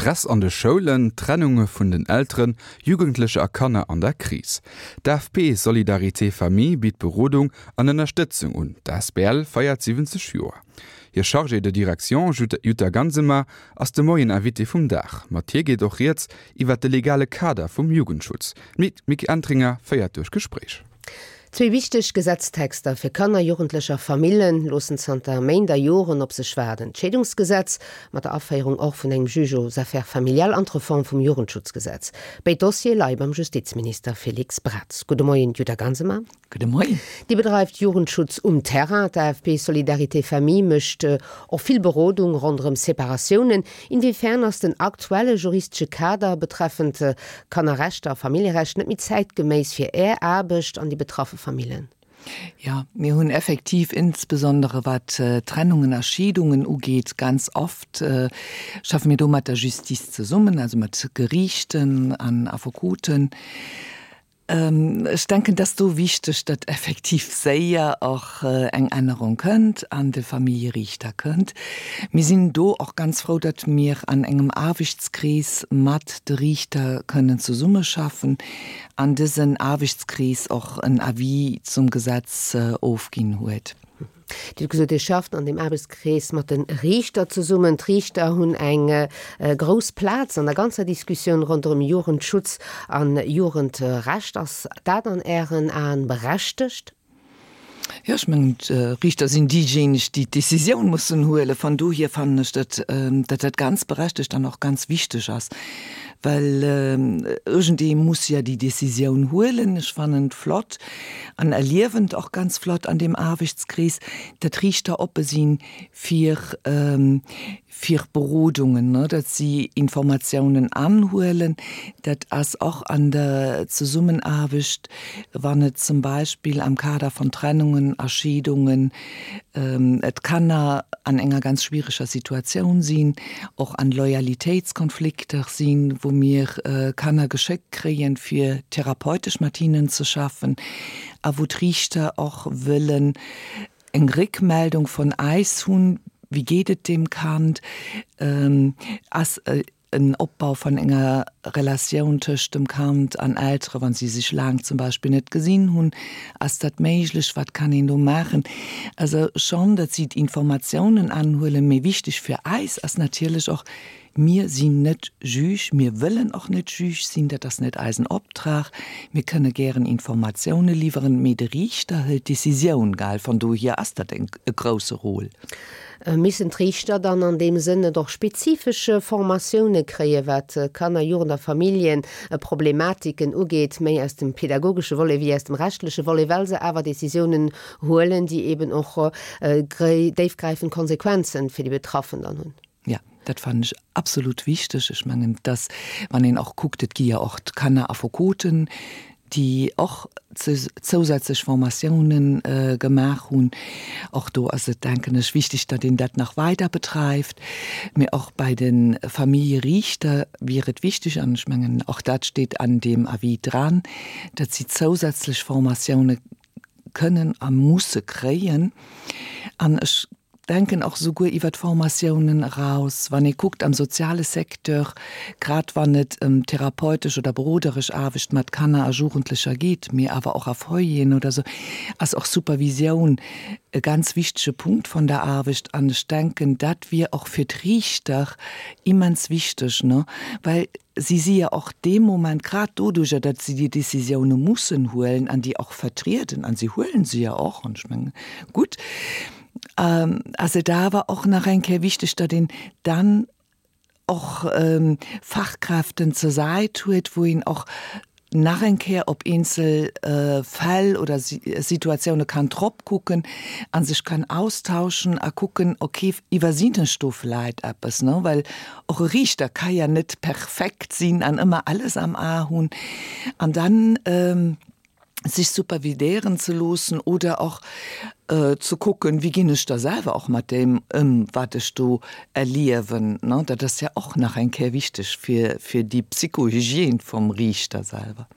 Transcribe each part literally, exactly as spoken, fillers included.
Stress an de Schoulen, Trennunge vun den Elteren, Jugendlecher a Kanner an der Kris. D'A F P Solidarité Famille bitt Berodung an Ënnerstëtzung un. D'A S B L feiert siwwenzeg Joer. Hir Chargée de direction Jutta Gansemer ass de Moien Invitée vum Dag. Mat hir geet och rieds iwwer de legale Kader vum Jugendschutz. D'Micky Entringer féiert duerch d'Gespréich. Zwee wichteg Gesetztexter fir Kanner, Jugendlecher a Famillen loossen zanter Méint a Joren op sech waarden. D'Scheedungsgesetz mat der Aféierung och vun engem Juge aux affaires familiales an d'Reform vum Jugendschutzgesetz. Béid Dossiere leie beim Justizminister Félix Braz. Gudde Moien, Jutta Gansemer. Gudde Moien. Dir bedreift Jugendschutz um Terrain. D'A F P Solidarité Famille mécht och vill Berodung ronderëm Separatiounen. Inwiefern ass den aktuelle juristesche Kader betreffend Kannerrechter a Familljerecht net méi zäitgeméiss fir Är Aarbecht an déi betraffe Famillen? Ja, mir hunn effektiv insbesondere wat äh, Trennungen a Scheedungen ugeet ganz oft äh, schaffe mir do mat der Justiz zesummen, also mat Geriichten an Affekoten. Ähm, ech denken, dat ass do wichteg, datt effektiv séier och äh, eng Ännerung kënnt an de Familljeriichter kënnt. Mir sinn do och ganz frou, datt mir an engem Aarbechtskrees mat de Riichter kënnen zesummeschaffen, an dësen Aarbechtskrees och en Avis zum Gesetz äh, ofginn huet. Dir hutt gesot, Dir schafft an deem Aarbechtskrees mat de Riichter zesummen. D'Riichter hunn eng äh, grouss Plaz an der ganzer Diskussioun ronderëm Jugendschutz an Jugendrecht. Ass dat an Ären Aen berechtegt? Ja, ech mengen d'Riichter sinn déijéineg, déi d'Decisioun mussen huelen. Vun dohier fannen ech, datt dat dat ganz berechtegt an och ganz wichteg ass, well iergendee muss ja déi Decisioun huelen. Ech fannen et flott an erliewen et och ganz flott an deem Aarbechtskrees, datt d'Riichter oppe sinn fir fir Berodungen, ne, datt si Informatiounen anhuelen. Dat ass och an der Zesummenaarbecht, wann et zum Beispill am Kader von Trennungen a Scheedungen d'Kanner an enger ganz schwiereger Situatioun sinn, och an Loyalitéitskonflikter sinn, wou mir Kanner geschéckt kréien, fir therapeutesch mat hinnen ze schaffen, a wou d'Riichter och wëllen eng Réckmeldung vun eis hunn, wéi geet et deem Kand, ass en Opbau vun enger Relatioun tëscht dem Kand an Eltere, wann si sech laang zum Beispill net gesinn hunn, ass dat méiglech, wat kann een do maachen? Also schonn, datt si d'Informatiounen anhuelen, mee wichteg fir eis ass natierlech och, mir sinn net Juge, mir wëllen och net Juge sinn, dat ass net eisen Optrag, mir kënne gären Informatioune liwweren, mee de Riichter hëlt d'Decisioun, gell, vun dohier ass dat en e grousse Rôle. Missen d'Riichter dann an deem Sënn net och spezifesch Formatioune kréien, wat Kanner-, Jugend a Familljeproblematiken ugeet, méi aus dem pädagogesche Volet wéi aus dem rechtleche Volet, well se awer Decisiounen huelen, déi eben och déifgräifend Konsequenzen fir déi Betraffen dann hunn? Ja, dat fannen ech absolut wichteg. Ech mengen, dass, wann een och kuckt, et gi jo och d'Kanneraffekoten, déi och zousätzlech Formatiounen gemaach hunn. Och do ass et, denken ech, wichteg, datt een dat nach weider bedreift. Mee och bei de Familljeriichter wier et wichteg, an ech mengen, och dat steet an deem Avis dran, datt si zousätzlech Formatioune kënnen a musse kréien. An ech denken och souguer iwwer d'Formatiounen eraus, wann ee kuckt am soziale Secteur, grad wann et ëm therapeutesch oder beroderesch Aarbecht mat Kanner a Jugendlecher geet, mee awer och a Foyeren oder sou, ass och Supervisioun e ganz wichtege Punkt vun der Aarbecht. An ech denken, dat wier och fir d'Riichter immens wichteg, ne, well si si jo och dee Moment, grad doduerjer, datt si déi Decisioune mussen huelen an déi och vertrieden, an si huelen se jo och, an ech mengen, gutt, ass et awer och nach eng Kéier wichteg, datt een dann och Fachkräften zur Säit huet, wou een och nach eng Kéier op eenzel Fäll oder Situatioune kann drop kucken a sech kann austauschen a kucken, okay, iwwersinn ech do vläit eppes, ne, well och e Riichter ka ja net perfekt sinn an ëmmer alles am A hunn. An dann sech supervidéieren ze loossen oder och ze kucken, wéi ginn ech da selwer och mat deem ëm, wat ech do erliewen, ne? Dat ass jo och nach eng Kéier wichteg fir, fir déi Psychohygiène vum Riichter selwer.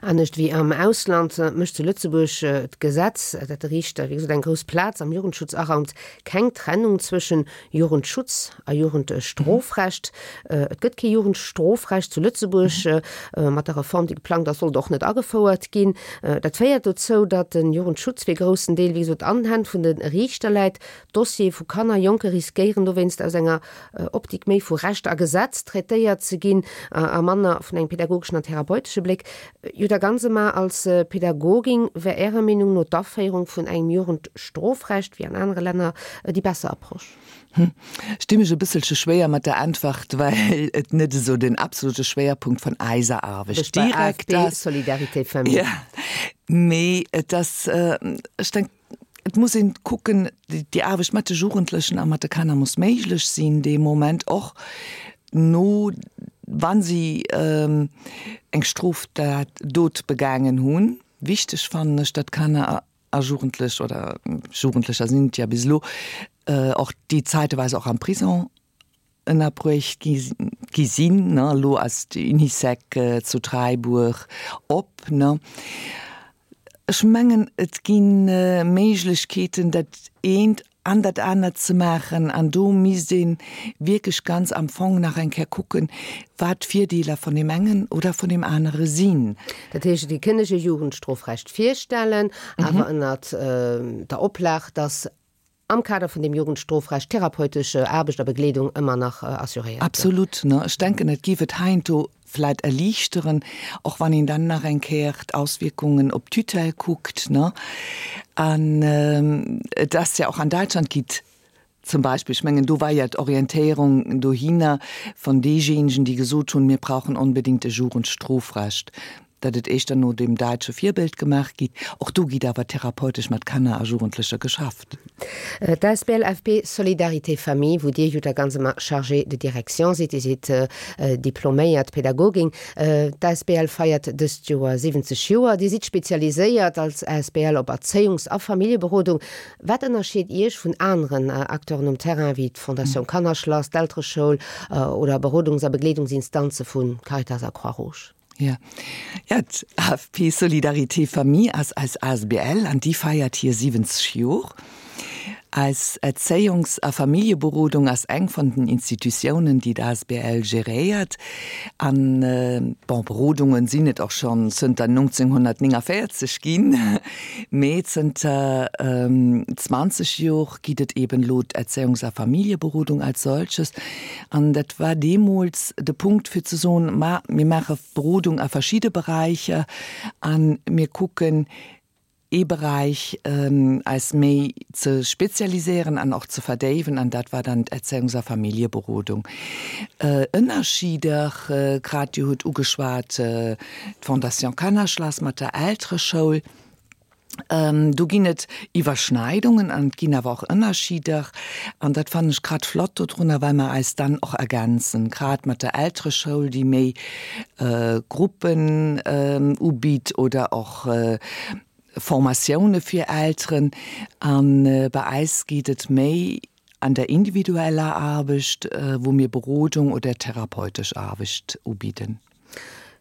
Anescht wéi am Ausland mécht zu Lëtzebuerg d'Gesetz, dat de Riichter, wéi gesot, eng grouss Plaz am Jugendschutz araumt, keng Trennung zwëschen Jugendschutz a Jugendstrofrecht. Et gëtt kee Jugendstrofrecht zu Lëtzebuerg. Mat der Reform, déi geplangt ass, soll et och net agefouert ginn. Dat féiert dozou, datt de Jugendschutz fir e groussen Deel, wéi gesot, an den Hänn vun de Riichter läit. D'Dossiere vu Kanner, Jonke riskéieren dowéinst aus enger Optik méi vu Recht a Gesetz traitéiert ze ginn a manner vun engem pädagogeschen an therapeutesche Bléck. Jutta Gansemer, als Pädagogin, wär Ärer Meenung no d'Aféierung vun engem Jugendstrofrecht, wéi an anere Länner, déi besser Approche? Ech di mech e bësselche schwéier mat der Äntwert, well et net esou den absolute Schwéierpunkt vun eiser Aarbecht direkt ass. Solidarité Famille. Ja, mee et ass, ech denk, et muss een kucken, déi Aarbecht mat de Jugendlechen a mat de Kanner muss méiglech sinn dee Moment och no, wa si eng Stroftat Dot begaangen hunn. Wichteg fannen ech, datt Kanner a Jugendlech, oder Jugendlecher sinn et ja bis elo, och déi zäiteweis och am Prison ënnerbruecht gi gi sinn, ne. Elo ass d'Unisec zu Dräibuer op, ne. Ech mengen, et gi Méiglechkeeten, dat eent an dat anert ze maachen, an do misst ee wierklech ganz am Fong nach eng Kéier kucken, wat d'Virdeeler vun deem engen oder vun deem anere sinn. Dat heescht, et kënnt e Jugendstrofrecht virstellen, awer ënnert der Oplag, dass am Kader vun dem Jugendstrofrecht therapeutesch Aarbecht a Begleedung ëmmer nach assuréiert gëtt. Absolut, ne. Ech denken, et géif et heiansdo vläit erliichteren, och wann een dann nach eng Kéier d'Auswierkungen op d'Tutelle kuckt, ne. An et ass ja och an Däitschland gitt zum Beispill, ech mengen, do war ja d'Orientéierung dohinner von deejéinegen, déi gesot hunn, mir brauchen onbedéngt e Jugendstrofrecht, datt et éischter no dem däitsche Virbild gemaach gitt. Och do gitt awer therapeutesch mat Kanner a Jugendlecher geschafft. D'Asbl F P Solidarité Famille, wou Dir, Jutta Gansemer, Chargée de direction sidd, Dir sidd diploméiert Pädagogin. D'Asbl feiert dëst Joer siwwenzeg Joer. Dir sidd spezialiséiert als Asbl op Erzéiungs a Familljeberodung. Wat ënnerscheet Iech vun aneren Acteuren um Terrain, wéi d'Fondation Kannerschlass, d'Eltereschoul oder Berodungs a Begleedungsinstanze vu Caritas a Croix-Rouge? Ja, ja d'A F P Solidarité Famille ass eis A S B L an déi feiert hir siwwenzeg Jor. Eis Erzéiungs a Familljeberodung ass eng vun den Institutiounen, déi d'A S B L geréiert. An bon, Berodungen sinn et och schonn zënter nonzénghonnertnéngavéierzeg ginn, mee zënter zwanzeg Jor gitt et eben elo d'Erzéiungs a Familljeberodung als solches. An dat war deemools de Punkt fir ze soen, ma mir maache Berodung a verschidde Beräicher a mir kucken, ee Beräich eis méi ze spezialiséieren an och ze verdéiwen, an dat war dann d'Erzéiungs a Familljeberodung. Ënnerschieder, grad Dir hutt ugeschwat d'Fondation Kannerschlass mat der Eltereschoul, do ginn et Iwwerschneidungen an et ginn awer och Ënnerschieder, an dat fannen ech grad flott dodrunner, well mer eis dann och ergänzen, grad mat der Eltereschoul, déi méi Gruppen ubitt oder och Formatioune fir Elteren. A bei eis geet et méi an der individueller Aarbecht, wou mir Berodung oder therapeutesch Aarbecht ubidden.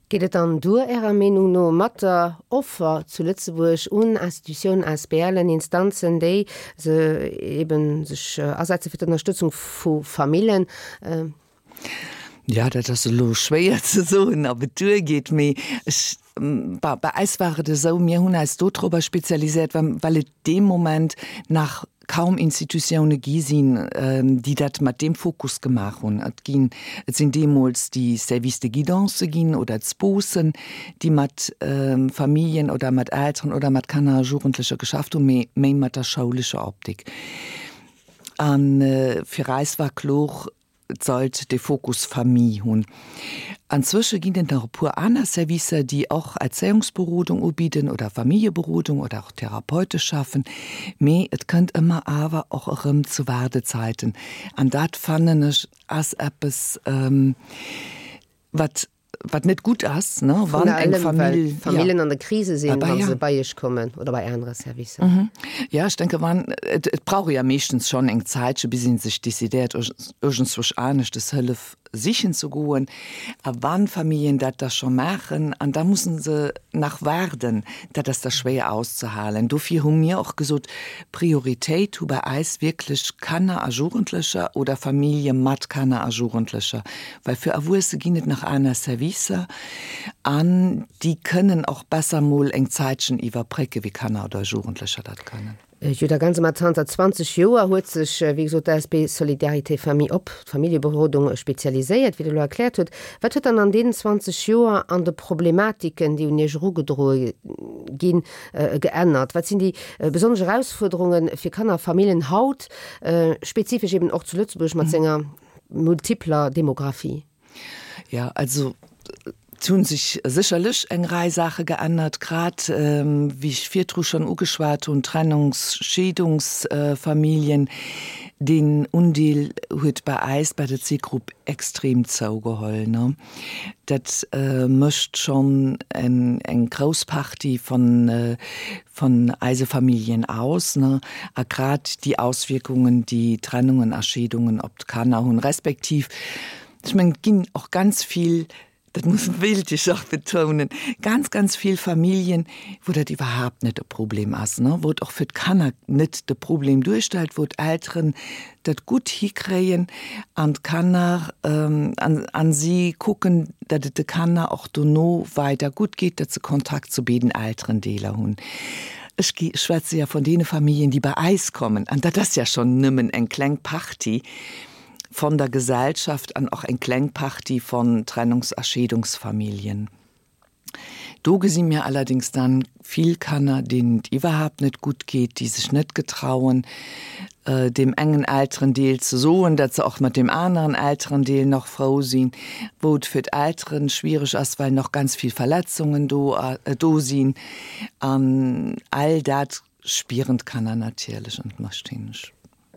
Geet et dann duer, Ärer Meenung no, mat der Offer zu Lëtzebuerg un Institutiounen, A S B Len, Instanzen, déi se eben sech asetze fir d'Ënnerstëtzung vu Famillen? Jo, dat ass elo schwéier ze soen, ob et duergeet, mee ech, bei eis war et esou, mir hunn eis dodrobber spezialiséiert, well et dee Moment nach kaum Institutioune gi sinn, déi dat mat deem Fokus gemaach hunn. Et ginn, et sinn deemools déi Services de guidance ginn oder d'Sposen, déi mat Familljen oder mat Elteren oder mat Kanner a Jugendlecher geschafft hunn, mee méi mat der schoulescher Optik. A fir eis war kloer, et sollt de Fokus Famille hunn. Anzwësche ginn et nach e puer aner Servicer, déi och Erzéiungsberodung ubidden oder Familljeberodung oder och therapeutesch schaffen, mee et kënnt ëmmer awer och erëm zu Waardezeiten. An dat fannen ech ass eppes, wat wat net gutt ass, ne, wann eng Famill, Famillen an der Krise sinn, wa se bei Iech kommen oder bei anere Servicer. Mhm. Ja, ech denke wann, et, et brauch ja meeschtens schonn eng Zäitche bis een sech decidéiert iergendzwousch aneschtes Hëllef sichen ze goen. A wann Familljen dat da scho maachen an da mussen se nach waarden, dat ass da schwéier auszehalen. Dofir hu mir och gesot, Prioritéit hu bei eis wierklech Kanner a Jugendlecher oder Famillje mat Kanner a Jugendlecher, well fir Erwuesse ginn et nach aner Servicer an déi kënnen och besser mol eng Zäitchen iwwerbrécke wéi Kanner oder Jugendlecher dat kënnen. Jo, da ganz mat zanter zwanzeg Joer huet sech, wéi gesot, d'A S B Solidarité Famille op d'Familljeberodung spezialiséiert, wéi Der elo erkläert hutt. Wat huet dann an deenen zwanzeg Joer an de Problematiken, déi un Iech erugedroe ginn, geännert? Wat sinn déi besonnesch Erausfuerderunge fir Kanner a Familljen haut, spezifesch eben och zu Lëtzebuerg mat senger multipler Demografie? Jo, also et hu sech sécherlech eng Rei Saache geännert, grad wéi ech virdru schonn ugeschwat hunn, Trennungs-, Scheedungsfamilljen, deen Undeel huet bei eis bei der Zielgrupp extrem zougeholl. Dat mécht schonn eng grouss Partie vun eise Familljen aus, a grad déi Auswierkungen, déi Trennungen a Scheedungen op d'Kanner hunn, respektiv, ech mengen, et ginn och ganz vill, dat muss wéilt ech och betounen, ganz, ganz vill Familljen, wou dat iwwerhaapt net e Problem ass, wou et och fir d'Kanner net de Problem duerstellt, wou d'Elteren dat gutt hikréien an d'Kanner an si kucken, datt et de Kanner och dono weider gutt geet, datt se Kontakt zu béiden Elterendeeler hunn. Ech schwätze jo vun deene Familljen, déi bei eis kommen, an dat ass ja schonn nëmmen eng kleng Partie von der Gesellschaft an och eng kleng Partie von Trennungs a Scheedungsfamilljen. Do gesi mir allerdings dann vill Kanner, deenen et iwwerhaapt net gutt geet, déi sech net getrauen, deem engen Elterendeel ze soen, datt se och mat deem aneren Elterendeel nach frou sinn, wou et fir d'Elteren schwiereg ass, well nach ganz vill Verletzungen do do sinn. An all dat spieren d'Kanner natierlech an et mécht hinne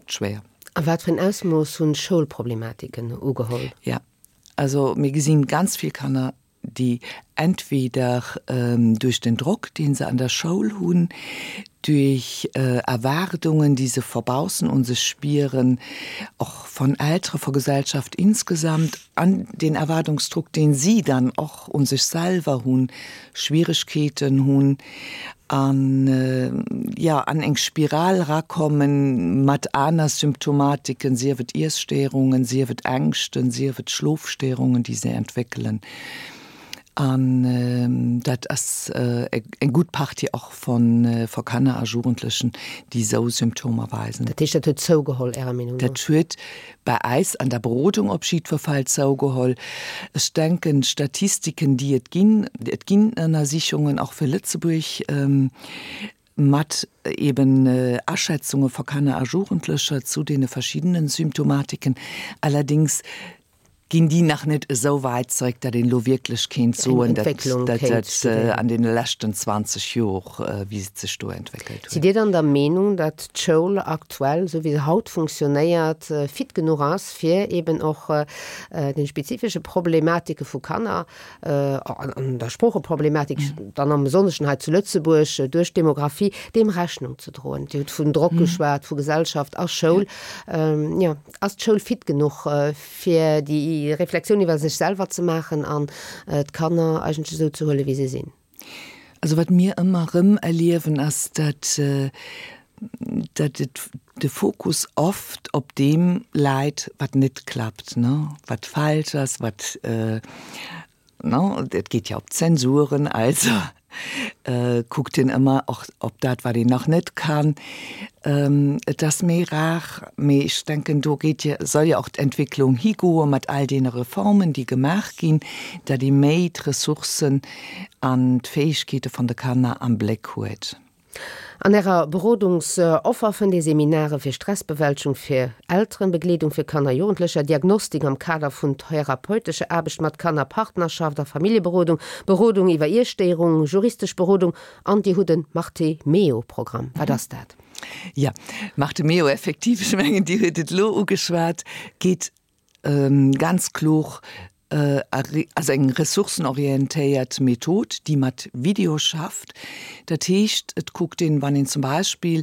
schwéier. A wat fir en Ausmooss hunn d'Schoulproblematiken ugeholl? Ja, also mir gesinn ganz vill Kanner, déi entweder duerch den Drock, dee se an der Schoul hunn, duerch Erwaardungen, déi se vu baussen un sech spieren, och von Eltere, vu Gesellschaft insgesamt, an den Erwaardungsdruck, deen si dann och un sech selwer hunn, Schwieregkeeten hunn an, jo, an eng Spiral erakommen mat aner Symptomatiken, sief et Iesstéierungen, sief et Ängschten, sief et Schlofstéierungen, déi se entwéckelen. An dat ass eng gutt Partie och vu Kanner a Jugendlechen, déi esou Symptomer weisen. Dat heescht, dat huet zougeholl, Ärer Meenung no? Dat huet bei eis an der Berodung op jiddwer Fall zougeholl. Ech denken, d'Statistiken, déi et ginn, et ginn Ënnersichungen och fir Lëtzebuerg mat eben Aschätzunge vu Kanner a Jugendlecher zu deene verschiddenen Symptomatiken, allerdings ginn déi nach net esou wäit zeréck, datt een elo wierklech kéint soen, datt dat an deene leschten zwanzeg Jor, wéi et sech do entwéckelt huet. Sidd Dir dann der Meenung, datt d'Schoul aktuell, esou wéi se haut funktionéiert, fit genuch ass, fir eben och de spezifesche Problematike vu Kanner an der Sproocheproblematik dann am Besonneschen hei zu Lëtzebuerg duerch d'Demografie, deem Rechnung ze droen? Dir hutt vun Drock geschwat, vu Gesellschaft a Schoul. Jo, ass d'Schoul fit genuch, fir déi Reflexioun iwwer sech selwer ze maachen an d'Kanner eigentlech esou ze huelen, wéi se sinn. Also wat mir ëmmer erëm erliewen, ass, datt datt et de Fokus oft op deem läit, wat net klappt, ne, wat falsch ass, wat, ne, et geet jo op Zensuren, also kuckt een ëmmer och op dat, wat een nach net kann. Et ass méi rar, mee ech denken, do geet jo, soll jo och d'Entwécklung higoe mat all deene Reformen, déi gemaach ginn, datt ee méi d'Ressourcen an d'Fäegkeete vun de Kanner am Bléck huet. An Ärer Berodungsoffer fënnt ee Seminare fir Stressbewältegung fir Elteren, Begleedung fir Kanner a Jugendlecher, Diagnostik am Kader vun therapeutescher Aarbecht mat Kanner, Partnerschaft a Familljeberodung, Berodung iwwer Iesstéierungen, juristesch Berodung an Dir hutt e Marte-Meo-Programm. Wat ass dat? Jo, Marte-Meo, effektiv, ech mengen, Dir hutt et elo ugeschwat, geet ganz kloer ass eng ressourcenorientéiert Method, déi mat Video schafft. Dat heescht, et kuckt een, wann een zum Beispill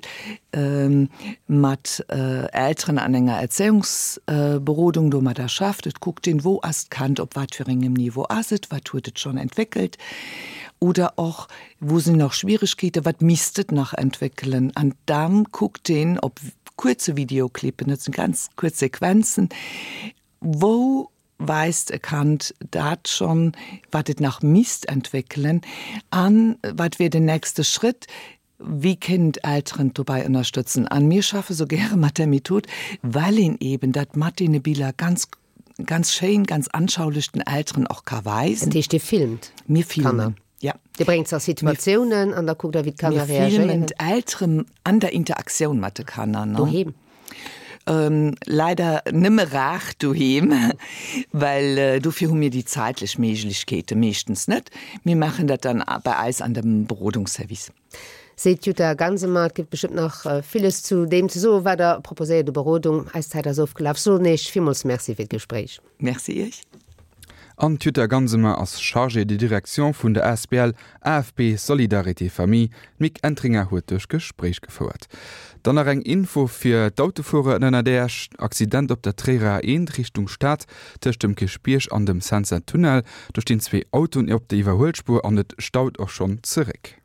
mat Elteren an enger Erzéiungsberodung domadder schafft, et kuckt een, wou ass d'Kand, op wat fir engem Niveau ass et, wat huet et schonn entwéckelt oder och, wou sinn nach Schwieregkeeten, wat misst et nach entwéckelen. An da kuckt een op kuerze Videoclippen, dat sinn ganz kuerz Sequenzen, wou weist e Kand dat schonn, wat et nach misst entwéckelen an wat wier den nächste Schritt, wéi kënnen d'Elteren dobäi ënnerstëtzen. An mir schaffe sou gäre mat där Method, well een eben dat mat deene Biller ganz, ganz schéin, ganz anschaulich den Elteren och ka weisen. Dat heescht, Dir filmt Mir filmen, ja. Dir bréngt se a Situatiounen an da kuckt Der, wéi d'Kanner reagéieren. Mir filmen d'Elteren an der Interaktioun mat de Kanner. Doheem? Leider nëmme rar doheem, well dofir hu mir déi zäitlech Méiglechkeete meeschtens net. Mir maachen dat dann bei eis an dem Berodungsservice. Seet d'Jutta Gansemer. Et gëtt bestëmmt nach villes zu deem ze soen, wat Der proposéiert u Berodung. Eis Zäit ass ofgelaf. Soen Iech villmools Merci fir d'Gespréich. Merci Iech. An d'Jutta Gansemer ass Chargée de direction vun der asbl AFP Solidarité Famille. D'Mick Entringer huet duerch Gespréich gefouert. Dann nach eng Info fir d'Autofuerer ënner Äerch, Accident op der Tréierer A eent Richtung Stad tëscht dem Kierchbierg an dem Centser Tunnel. Do stinn zwee Autoen op der Iwwerhuelspuer an et staut och schonn zeréck.